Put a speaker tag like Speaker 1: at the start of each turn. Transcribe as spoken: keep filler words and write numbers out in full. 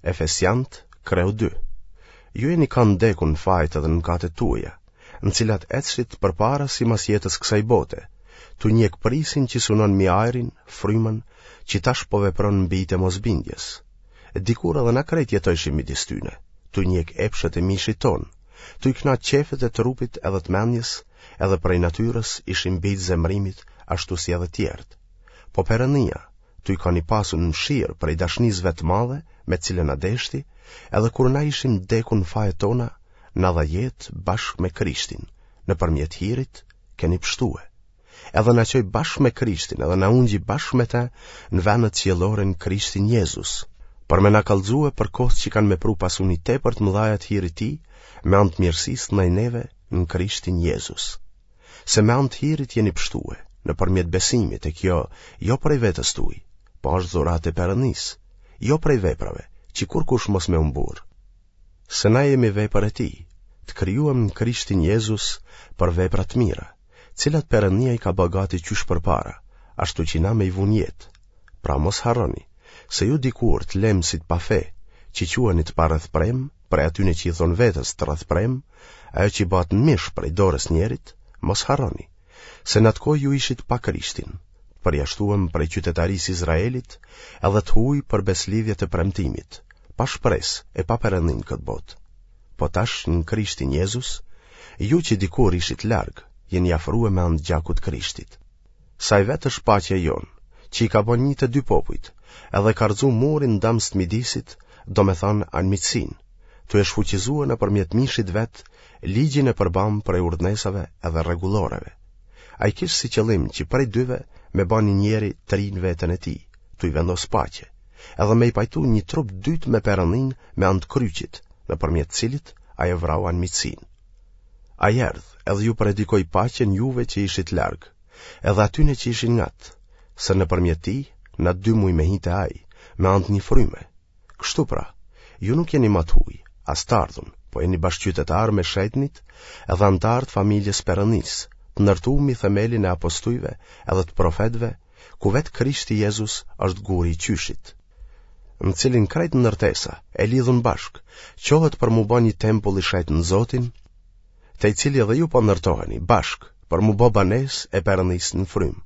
Speaker 1: Efesianët, kreu dy. Ju jeni kanë dekun në fajet edhe në mëkatet tuaja, në cilat ecshit përpara simas jetës kësaj bote, tu njek prisin që sunon mi ajrin, frymën, që tash po vepron në bijtë e mosbindjes. Dikur edhe na krejt jetojshim midis tyne, tu njek epshet e mishit tonë, tu i knaq qefet e trupit edhe të mendjes, edhe prej natyrës ishim bijtë zemrimit, ashtu si edhe tjerët. Po Perënia, tu kanë i pasun mëshirë prej dashnisë vet të madhe, me cilën na deshti, edhe kur na ishim dekun në fajet tona, na dha jetë bashkë me Krishtin, nëpërmjet hirit keni pshtue. Edhe na çoi bashkë me Krishtin, edhe na ungji bashkë me të në vendet qiellore në Krishtin Jezus, për me na kallxue për kohët që kanë me pru pasuni tepër të mëdhaja të hirit tij, me anë të mirësisë ndaj neve në Krishtin Jezus. Se me anë të hirit jeni pshtue, nëpërmjet besimit e kjo jo prej vetes tuaj, po është dhuratë e Perëndisë, jo prej veprave, që kurkush mos me u mburr. Se na jemi vepër e tij, të krijuam në Krishtin Jezus për vepra të mira, cilat Perëndia i ka bë gati qysh përpara, ashtu që na me i vunë jetë. Pra mos harroni, se ju dikur të lemë si të pafe, që quheni të parrethprem, prej atyne që i thonë vetes të rrethprem, ajo që bëhet në mish prej dorës njerit, mos harroni, se në atë kohë ju ishit pa Krishtin, të përjashtuem prej qytetarisë Izraelit, edhe të huaj për besëlidhjet e premtimit, pa shpresë e pa Perëndin në këtë botë. Po tash në Krishtin Jezus, ju që dikur ishit larg, jeni afrue me anë të gjakut Krishtit. Se ai vetë është paqja jonë, që i ka bë një të dy popujt, edhe ka rrëzu murin ndamës të midisit, domethënë anmiqësinë, tu e shfuqizue nëpërmjet mishit vet ligjin e përbam prej urdhnesave edhe rregulloreve. Ai kish si qëllim që prej dyve me ba një njeri të ri në veten e tij, tu i vendos paqe, edhe me i pajtu një trup dytë me Perëndin me anë të kryqit, nëpërmjet cilit ai e vrau anmiqësinë. Ai erdh, edhe ju predikoi paqen juve që ishit larg, edhe atyne që ishin ngat, se nëpërmjet tij na dy muj me hi te ai, me anë të një fryme. Kështu pra, ju nuk jeni ma të huaj, as të ardhun, po jeni bashkëqytetarë me shenjtnit edhe anëtarë të familjes Perëndisë, të ndërtuar mbi themelin e apostujve edhe të profetëve, ku vetë Krishti Jezus është guri i qyshit, në cilin krejt ndërtesa e lidhun bashkë, çohet për m'u bë një tempull i shenjtë në Zotin, te i cili edhe ju po ndërtoheni bashkë për m'u bë banesë e Perëndisë në frymë.